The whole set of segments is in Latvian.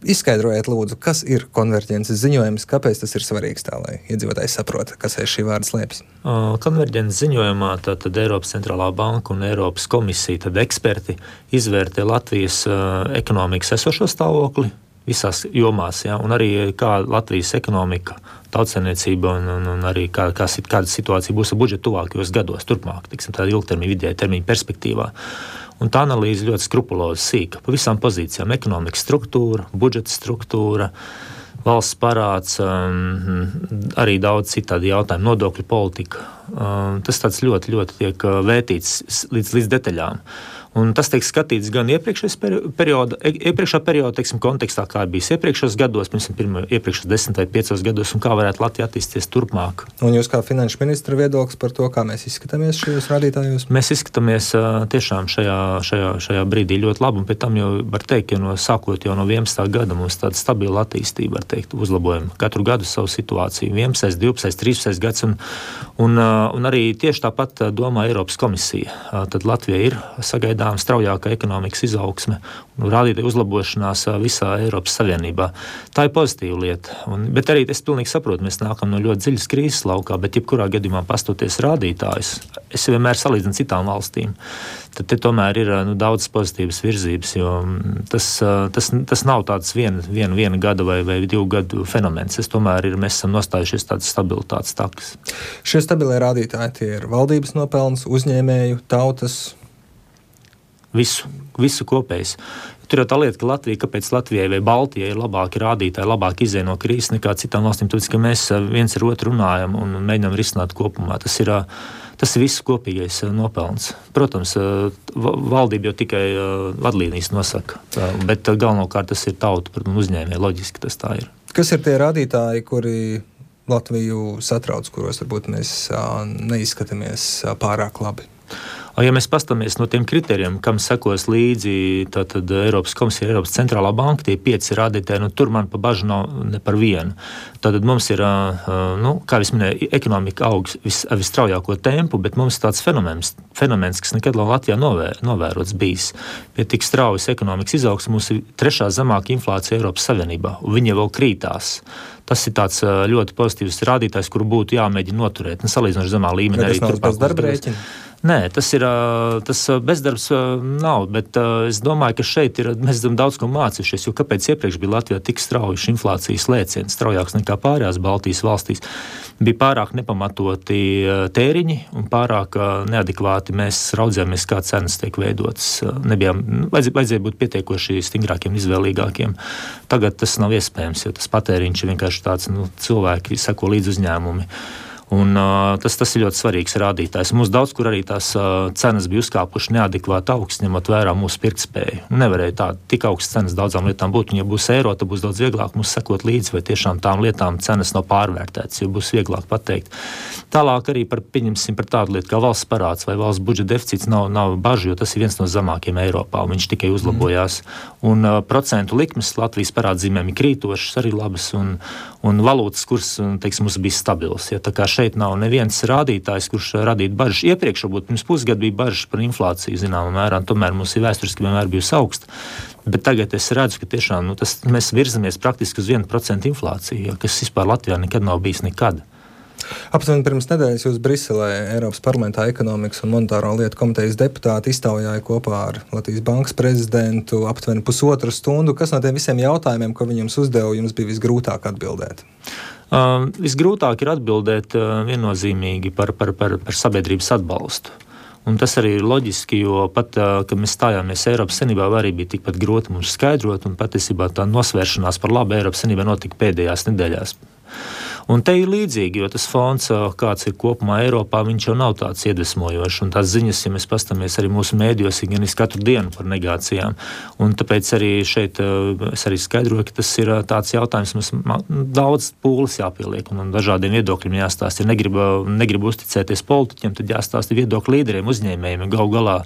Izskaidrojiet, lūdzu, kas ir konverģences ziņojums, kāpēc tas ir svarīgs tā, lai iedzīvotājs saprota, kas aiz šī vārda slēpjas? Konverģences ziņojumā tad Eiropas centrālā banka un Eiropas komisija, tad eksperti izvērtē Latvijas ekonomikas esošo stāvokli visās jomās, ja, un arī kā Latvijas ekonomika, tautsaimniecība un arī kāda situācija būs ar budžetu tuvākajos gados, turpmāk, tāda ilgtermiņa, vidēja termiņa perspektīvā. Un tā analīze ļoti skrupulozi sīka pa visām pozīcijām - ekonomikas struktūra, budžeta struktūra, valsts parāds, arī daudz citādi jautājumi, nodokļu politika. Tas tāds ļoti, ļoti tiek vētīts līdz detaļām. Un tas tiek skatīts gan iepriekšā perioda, teiksim, kontekstā, kā bijis iepriekšējos gados, iepriekšējos 10 vai 5 gados, un kā varētu Latvija attīstīties turpmāk. Un jūs kā finanšu ministra viedoklis par to, kā mēs izskatāmies šajos rādītājos? Mēs izskatāmies tiešām šajā brīdī ļoti labi, un pēc tam jau var teikt, ka sākot jau no 11. gada mums tāda stabila attīstība, var teikt, uzlabojam katru gadu savu situāciju, 11., 12., 13. gads, un arī tieši tāpat domā Eiropas komisija. Tad Latvija ir sagaidāma straujāka ekonomikas izaugsme un rādītāju uzlabošanās visā Eiropas Savienībā. Tā ir pozitīva lieta. Bet arī es pilnīgi saprotu, mēs nākam no ļoti dziļas krīzes laukā, bet jebkurā gadījumā pastoties rādītājus, es vienmēr salīdzinu citām valstīm. Tad te tomēr ir daudz pozitīvas virzības, jo tas nav tāds viena gada vai 2 gadu fenomens. Mēs esam nostājušies tādas stabilitātes takas. Šie stabilie rādītāji, tie ir valdības nopelns, uzņēmēju, tautas. Visu kopējs. Tur jau tā lieta, ka kāpēc Latvijai vai Baltijai ir labāki rādītāji, labāk izēj no krīzes nekā citām valstīm, tāpēc, ka mēs viens ar otru runājam un mēģinām risināt kopumā. Tas ir visu kopīgais nopelns. Protams, valdība jau tikai vadlīnijas nosaka, bet galvenokārt tas ir tauta, protams, uzņēmēji, loģiski tas tā ir. Kas ir tie rādītāji, kuri Latviju satrauc, kuros varbūt mēs neizskatāmies pārāk labi? Ja mēs paskatāmies no tiem kritērijiem, kam sekos līdzi tātad Eiropas komisija, Eiropas centrālā banka, tie 5 rādītāji, tur man pa bažu nav ne par vienu. Tātad mums ir, kā es minēju, ekonomika aug visstraujāko tempu, bet mums ir tāds fenomens, kas nekad Latvijā novērots bijis. Pie tik straujas ekonomikas izaugsmes mums ir 3. zemāka inflācija Eiropas Savienībā, un viņa vēl krītās. Tas ir tāds ļoti pozitīvs rādītājs, kuru būtu jāmēģina noturēt. Salīdzinoši zemā līmenī arī turpmāk. Bezdarba rēķina? Nē, tas bezdarbs nav, bet es domāju, ka šeit mēs esam daudz ko mācījušies, jo kāpēc iepriekš bija Latvijā tik strauji inflācijas lēciens, straujāks nekā pārējās Baltijas valstīs, bija pārāk nepamatoti tēriņi un pārāk neadekvāti mēs raudzījāmies, kā cenas tiek veidotas. Vajadzēja būt pietiekoši stingrākiem, izvēlīgākiem. Tagad tas nav iespējams, jo tas patēriņš ir vienkārši tāds, cilvēki seko līdz uzņēmumi. Un tas ir ļoti svarīgs rādītājs. Mums daudz kur arī tās cenas bija uzkāpuši neadekvāti augsts, ņemot vērā mūsu pirktspēju. Nevarēja tik augsts cenas daudzām lietām būt, un ja būs eiro, tad būs daudz vieglāk mums sekot līdzi, vai tiešām tām lietām cenas nav pārvērtētas, jo būs vieglāk pateikt. Tālāk arī par tādu lietu kā valsts parāds vai valsts budžeta deficīts nav bažu, jo tas ir viens no zemākiem Eiropā, un viņš tikai uzlabojās. Un procentu likmes Latvijas parādzīmēm ir krītošas, arī labas, un valūtas kurs, mums bija stabils. Ja, tā kā šeit nav neviens rādītājs, kurš radītu bažas. Iepriekš, varbūt pirms pusgada bija bažas par inflāciju, zināmā mērā, un tomēr mums ir vēsturiski vienmēr bijusi augsta. Bet tagad es redzu, ka tiešām mēs virzamies praktiski uz 1% inflāciju, kas vispār Latvijā nekad nav bijis nekad. Aptuveni pirms nedēļas jūs Briselē Eiropas parlamentā ekonomikas un monetāro lietu komitejas deputāti iztaujāja kopā ar Latvijas bankas prezidentu aptuveni 1,5 stundu. Kas no tiem visiem jautājumiem, ko viņi jums uzdeva, jums bija visgrūtāk atbildēt? Visgrūtāk ir atbildēt viennozīmīgi par sabiedrības atbalstu. Un tas arī ir loģiski, jo pat, kad mēs stājāmies Eiropas Savienībā, arī bija tikpat grūti mums skaidrot, un patiesībā tā nosvēršanās par labu Eiropas Savienībā notika pēdējās nedēļās. Un te ir līdzīgi, jo tas fonds, kāds ir kopumā Eiropā, viņš jau nav tāds iedvesmojošs, un tās ziņas, ja mēs paskatāmies arī mūsu mēdījos, ir gan katru dienu par negācijām. Un tāpēc arī šeit es arī skaidroju, ka tas ir tāds jautājums, mums daudz pūles jāpieliek, un dažādiem viedokļiem jāstāsta. Ja negribu uzticēties politiķiem, tad jāstāsta viedokļu līderiem, uzņēmējiem. Galu galā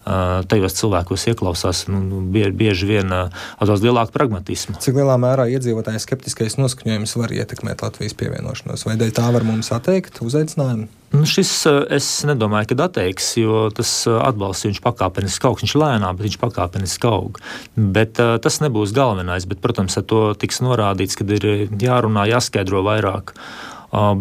tajos cilvēkos ieklausās bieži vien ar daudz lielāku pragmatismu. Cik lielā mērā iedzīvotāju skeptiskais noskaņojums var ietekmēt Latvijas pievienošanos? Vai dēļ tā var mums atteikt uzaicinājumu? Šis es nedomāju, ka atteiks, jo tas atbalsts viņš pakāpeniski aug, viņš lēnām, bet viņš pakāpeniski aug. Bet tas nebūs galvenais, bet, protams, ar to tiks norādīts, kad ir jārunā, jāskaidro vairāk.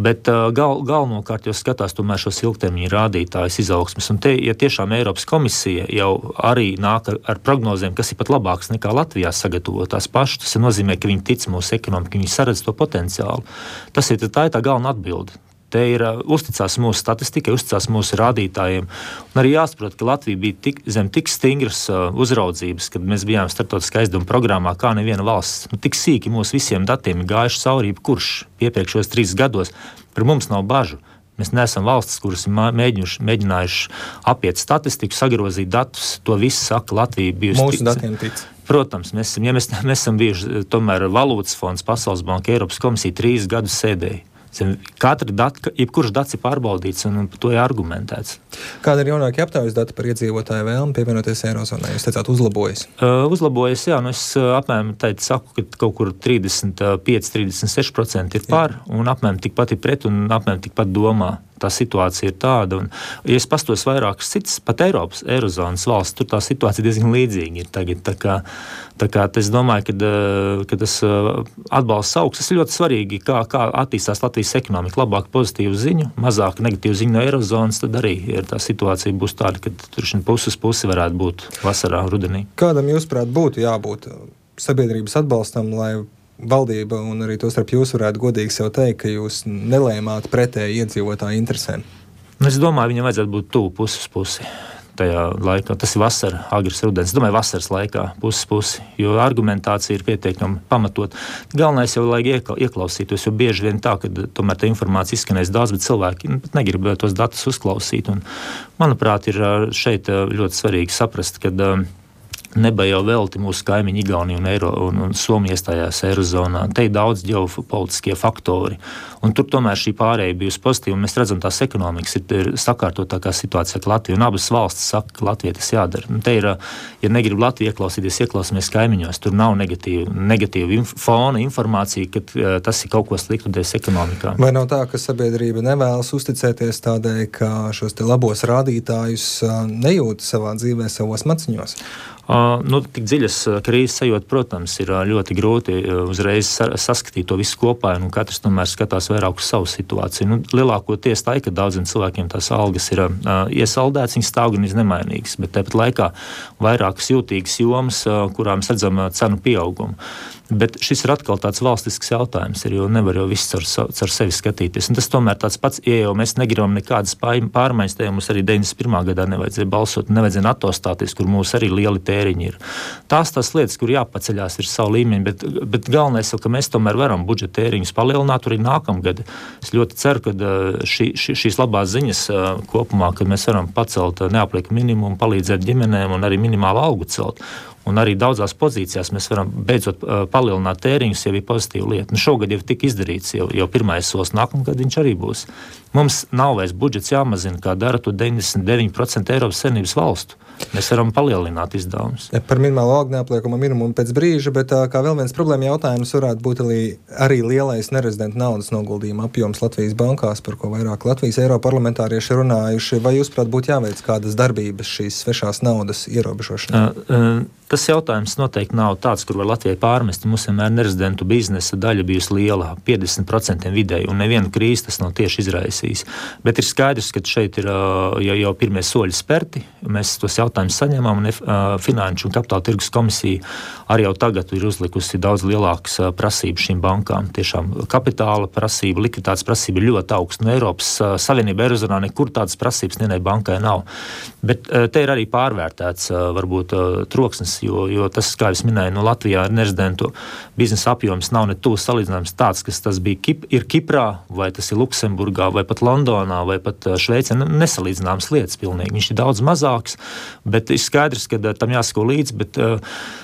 Bet galvenokārt jau skatās tomēr šos ilgtermiņa rādītājus izaugsmes. Un te, ja tiešām Eiropas komisija jau arī nāk ar prognozēm, kas ir pat labāks nekā Latvijā sagatavotās pašas, tas nozīmē, ka viņi tic mūsu ekonomikai, viņi saredz to potenciālu. Tā ir tā galvenā atbilde. Te ir uzticās mūsu statistikai, uzticās mūsu rādītājiem. Un arī jāsaprot, ka Latvija bija zem tik stingras uzraudzības, kad mēs bijām starptautiskā aizdevuma programmā, kā neviena valsts. Tik sīki mūsu visiem datiem ir gājuši cauri, kurš iepriekšējos 3 gados. Par mums nav bažu. Mēs neesam valstis, kuras ir mēģinājuši apiet statistiku, sagrozīt datus. To visu saka Latvija bijusi. Mūsu datiem tic. Protams, mēs esam bijuši tomēr Valūtas fonds, Pasaules banka, Eiropas komisija 3 gadus sēdēja. Jebkurš dats ir pārbaudīts un par to ir argumentēts. Kāda ir jaunākie aptaujas dati par iedzīvotāju vēlmi pievienoties Eirozonai? Jūs teicāt, uzlabojas? Uzlabojas, jā. Es apmēram saku, ka kaut kur 35–36% ir par, un apmēram tikpat ir pret, un apmēram tikpat domā. Tā situācija ir tāda, un, ja es pastos vairākas citas, pat Eirozonas valsts, tur tā situācija diezgan līdzīga ir tagad. Tā kā es domāju, ka tas atbalsts augs, tas ir ļoti svarīgi, kā attīstās Latvijas ekonomika. Labāk pozitīvu ziņu, mazāk negatīvu ziņu no Eirozonas, tad arī tā situācija būs tāda, ka tur pusi varētu būt vasarā, rudenī. Kādam jūsuprāt būtu jābūt sabiedrības atbalstam, lai valdība un arī to starp jūs varētu godīgi sev teikt, ka jūs nelēmāt pretēji iedzīvotāju interesēm? Es domāju, viņam vajadzētu būt tuvu pusi tajā laikā. Tas ir vasara, agrs rudens. Es domāju, vasaras laikā pusi, jo argumentācija ir pietiekami pamatot. Galvenais jau, lai ieklausītos, jo bieži vien tā, ka tomēr tā informācija izskanēs daudz, bet cilvēki negrib tos datus uzklausīt. Un, manuprāt, ir šeit ļoti svarīgi saprast, ka Neba jau velti mūsu kaimiņi Igaunija un Somija iestājās Eirozonā. Te ir daudz ģeopolitiskie faktori. Un tur tomēr šī pārēja bijusi pozitīva. Mēs redzam, tās ekonomikas ir sakārtotākā situācija ar Latviju. Un abas valstis saka, ka Latvijai tas jādara. Un te ir, ja negrib Latviju ieklausīties, ieklausāmies kaimiņos. Tur nav negatīva fona informācija, ka tas ir kaut ko sliktudies ekonomikā. Vai nav tā, ka sabiedrība nevēlas uzticēties tādēļ, ka šos te labos rādītājus nejūt savā dzīvē, savos maciņos? Tik dziļas krīzes sajūta, protams, ir ļoti grūti uzreiz saskatīt to visu kopā, un katrs tomēr skatās vairāk uz savu situāciju. Lielākoties tā, ka daudziem cilvēkiem tās algas ir iesaldētas, viņas stāv gan nemainīgas, bet tāpat laikā vairākas jūtīgas jomas, kurām mēs redzam cenu pieaugumu. Bet šis ir atkal tāds valstisks jautājums, jo nevar jau viss caur sevi skatīties. Un tas tomēr tāds pats, ja jau mēs negribam nekādas pārmaiņas, tajā mums arī 91. gadā nevajadzēja balsot, nevajadzēja NATO stāties, kur mūs arī lieli tēriņi ir. Tās lietas, kur jāpaceļās ir savu līmeņu, bet galvenais jau, ka mēs tomēr varam budžeta tēriņus palielināt arī nākamgad. Es ļoti ceru, ka šīs labās ziņas kopumā, kad mēs varam pacelt neapliekumu minimumu, palīdzēt ģimenēm un arī minimālu algu celt. Un arī daudzās pozīcijās mēs varam beidzot palielināt tēriņus, jau ir pozitīva lieta. Šogad jau tika izdarīts, jau pirmais solis, nākamgad viņš arī būs. Mums nav vairs budžets jāmazina, kā dara to 99% Eiropas Savienības valstu. Mēs varam palielināt izdevumus. Par minimālo algu neapliekamo minimumu pēc brīža, bet kā vēl viens problēma jautājums varētu būt arī lielais nerezidentu naudas noguldījuma apjoms Latvijas bankās, par ko vairāk Latvijas eiroparlamentārieši runājuši. Vai jūs, prāt, būtu jāveic kādas darbības šīs svešās naudas ierobežošanai? Tas jautājums noteikti nav tāds, kur var Latvijai pārmest. Mums vienmēr nerezidentu biznesa daļa bijusi liela, 50% vidēji, un nevienu krīzi tas nav tieši izraisījis. Bet ir skaidrs, ka šeit ir jau pirmie soļi sperti. Mēs tos jautājumus saņemam, un Finanšu un Kapitāla tirgus komisija arī jau tagad ir uzlikusi daudz lielākas prasības šīm bankām. Tiešām kapitāla prasība, likviditātes prasība ir ļoti augsta. No Eiropas Savienība Eirozonā nekur tādas prasības nevienai bankai nav. Bet te ir arī pārvērtēts varbūt troksnis jo tas, kā es minēju, no Latvijā ar nerezidentu biznesa apjoms nav ne tuvu salīdzināms tāds, kas tas bija ir Kiprā, vai tas ir Luksemburgā, vai pat Londonā, vai pat Šveicē, nesalīdzināmas lietas pilnīgi. Viņš ir daudz mazāks, bet ir skaidrs, ka tam jāsako līdzi, bet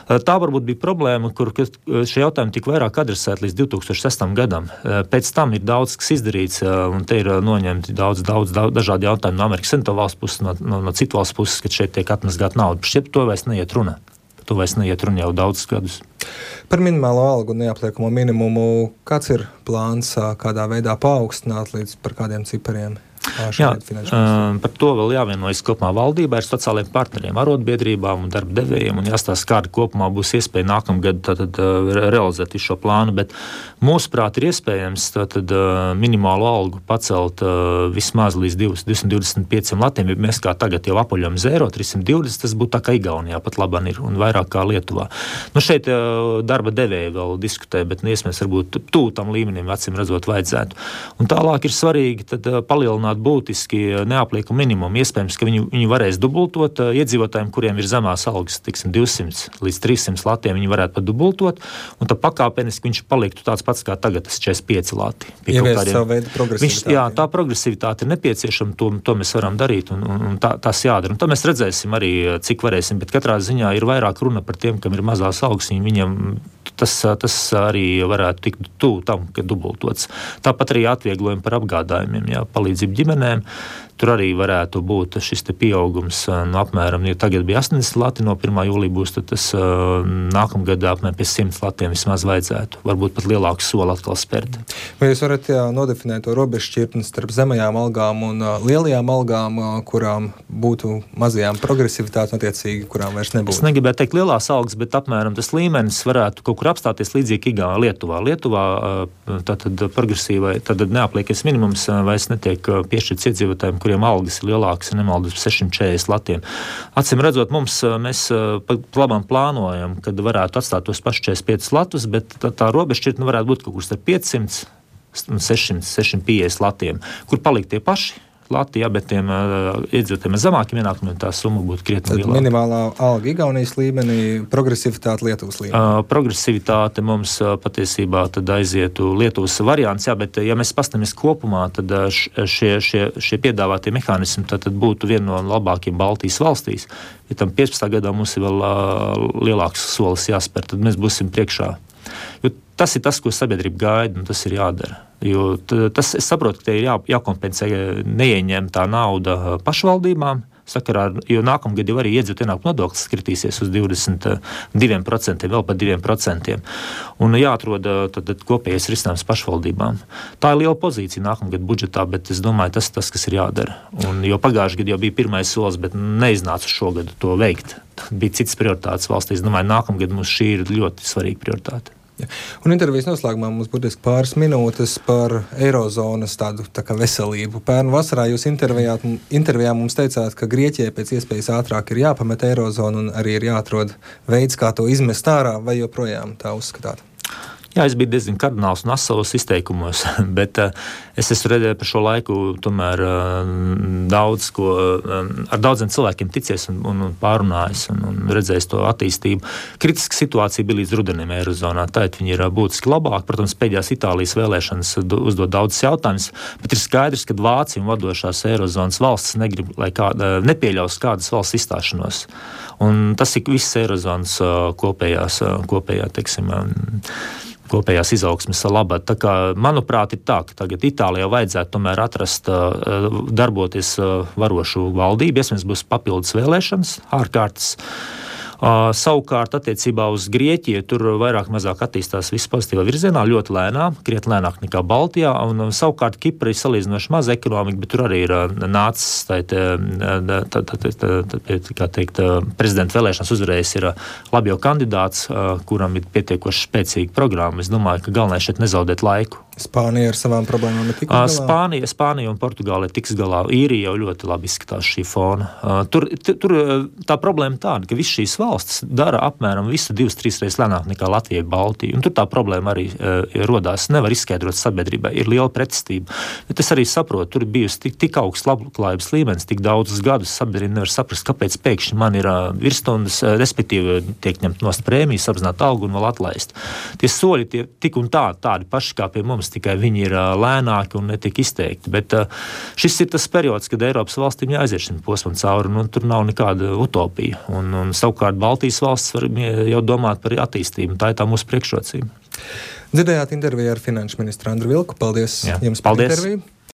tā varbūt bija problēma, kur šie jautājumi tika vairāk adresēti līdz 2006. gadam. Pēc tam ir daudz, kas izdarīts, un te ir noņemti daudz dažādi jautājumi no Amerikas Savienoto valstu puses, no citu valstu puses, kad šeit tiek atmazgāta nauda. Šķiet, to vairs neiet runa. To vairs neiet runa jau daudzus gadus. Par minimālo algu un neapliekamo minimumu, kāds ir plāns, kādā veidā paaugstināt līdz par kādiem cipariem? Jā, par to vēl jāvienojas kopumā valdībā ar sociālajiem partneriem, arotbiedrībām un darba devējiem, un jāstāsta, kāda kopumā būs iespēja nākamgad realizēt šo plānu, bet mūsuprāt ir iespējams minimālo algu pacelt vismaz līdz 225 latiem, ja mēs kā tagad jau apaļojam 320, tas būtu tā kā Igaunijā pat labāk ir un vairāk kā Lietuvā. Šeit darba devēji vēl diskutē, bet iespējams varbūt tuvu tam līmenim acīm redzot vajadzētu. Un tālāk ir svarīgi tad palielināt būtiski neapliekumu minimumu. Iespējams, ka viņi varēs dubultot iedzīvotājiem, kuriem ir zemās algas, 200 līdz 300 latiem, viņi varētu pat dubultot, un tad pakāpeniski viņš paliktu tāds pats kā tagad, tas 45 lati. Ieviest savu veidu progresivitāti. Jā, tā progresivitāte ir nepieciešama, to mēs varam darīt, un tas jādara. Un tā mēs redzēsim arī, cik varēsim, bet katrā ziņā ir vairāk runa par tiem, kam ir mazās algas, viņiem tas arī varētu tikt tuvu tam, ka dubultots. Tāpat arī atvieglojumi par apgādājumiem, palīdzību ģimenēm. Tur arī varētu būt šis te pieaugums no apmēram, ja tagad bija 80 lati, no 1. jūlija būs, tad tas nākamgad apmēram pie 100 latiem vismaz vajadzētu. Varbūt pat lielāku soli atkal spērt. Vai jūs varat nodefinēt to robežšķirtni starp zemajām algām un lielajām algām, kurām būtu mazajām progresivitāte, attiecīgi, kurām vairs nebūtu? Es negribētu teikt lielās algas, bet apmēram tas līmenis varētu kaut kur apstāties līdzīgi Lietuvā. Lietuvā tātad progresīvai, tad neapliekais minimums vairs netiek piešķirts iedzīvotājiem, kuriem algas ir lielākas, ja nemaldos, 640 latiem. Acīm redzot, mēs labam plānojam, kad varētu atstāt tos pašus 45 latus, bet tā robežšķirtne varētu būt kaut kur starp 500 un 650 latiem, kur palikt tie paši lati, bet tiem iedzīvotājiem ar zemākiem ienākumiem tā summa būtu krietni lielāka. Minimālā alga Igaunijas līmenī, progresivitāte Lietuvas līmenī. Progresivitāte mums patiesībā tad aizietu Lietuvas variants, bet ja mēs pastamies kopumā, tad šie piedāvātie mehānismi tad būtu viena no labākiem Baltijas valstīs. Ja tam 15. gadā mums ir vēl lielāks solis jāspēr, tad mēs būsim priekšā. Jo tas ir tas, ko sabiedrība gaida, un tas ir jādara. Jo es saprotu, ka te ir jākompensē neieņemtā nauda pašvaldībām, jo nākamgad jau arī iedzīvotāju ienākumu nodoklis kritīsies uz 22%, vēl pat 2%. Un jāatrod tad kopējais risinājums pašvaldībām. Tā ir liela pozīcija nākamgad budžetā, bet es domāju, tas, kas ir jādara. Un, jo pagājušajā gadā jau bija pirmais solis, bet neiznāca šogad to veikt. Bija citas prioritātes valstīs. Es domāju, nākamgad mums šī ir ļoti svarīga prioritāte. Ja. Un intervijas noslēgumā mums būtiski pāris minūtes par eirozonas tādu tā kā veselību. Pērn vasarā jūs intervijā mums teicāt, ka Grieķijai pēc iespējas ātrāk ir jāpamet eirozonu un arī ir jāatrod veids, kā to izmest ārā, vai joprojām tā uzskatāt? Jā, es biju diezgan kardināls un asavos izteikumos, bet es esmu redzējis par šo laiku tomēr ar daudziem cilvēkiem ticies un pārunājis un redzējis to attīstību. Kritiska situācija bija līdz rudenim eirozonā, tātad viņi ir būtiski labāk. Protams, pēdējās Itālijas vēlēšanas uzdod daudzas jautājumas, bet ir skaidrs, ka Vācija un vadošās eirozonas valstis nepieļaus kādas valsts izstāšanos. Un tas ir viss eirozonas kopējās izaugsmes labā. Tā kā, manuprāt, ir tā, ka tagad Itālijā vajadzētu tomēr atrast, darboties varošu valdību. Iespējams, būs papildus vēlēšanas, ārkārtas. Savukārt, attiecībā uz Grieķiju, tur vairāk mazāk attīstās viss pozitīvā virzienā, ļoti lēnām, krietni lēnāk nekā Baltijā, un savukārt Kipra ir salīdzinoši maza ekonomika, bet tur arī ir nācis, kā teikt, prezidenta vēlēšanas uzvarējis ir labjo kandidāts, kuram ir pietiekoši spēcīga programma. Es domāju, ka galvenais šeit nezaudēt laiku Spānija ar savām problēmām ir tikus galā? Spānija un Portugāla tiks galā. Īrija jau ļoti labi izskatās šī fona. Tur tā problēma tāda, ka visas šīs valstis dara apmēram visu 2-3 reizes lēnāk nekā Latvija, Baltija. Un tur tā problēma arī rodās. Nevar izskaidrot sabiedrībai. Ir liela pretestība. Bet es arī saprotu, tur ir bijusi tik augsts labklājības līmenis, tik daudzus gadus sabiedrība nevar saprast, kāpēc pēkšņi man ir virsstundas, respektīvi tiek ņemt nost prēmijas, apzināt algu un vēl atlaist. Tie soļi tie tik un tādi paši kā pie mums, tikai viņi ir lēnāki un netik izteikti. Bet šis ir tas periods, kad Eiropas valstīm jāaiziet šim posmam cauri, un tur nav nekāda utopija. Un savukārt Baltijas valsts var jau domāt par attīstību. Tā ir tā mūsu priekšrocība. Dzirdējāt interviju ar finanšu ministru Andru Vilku. Paldies jums par interviju.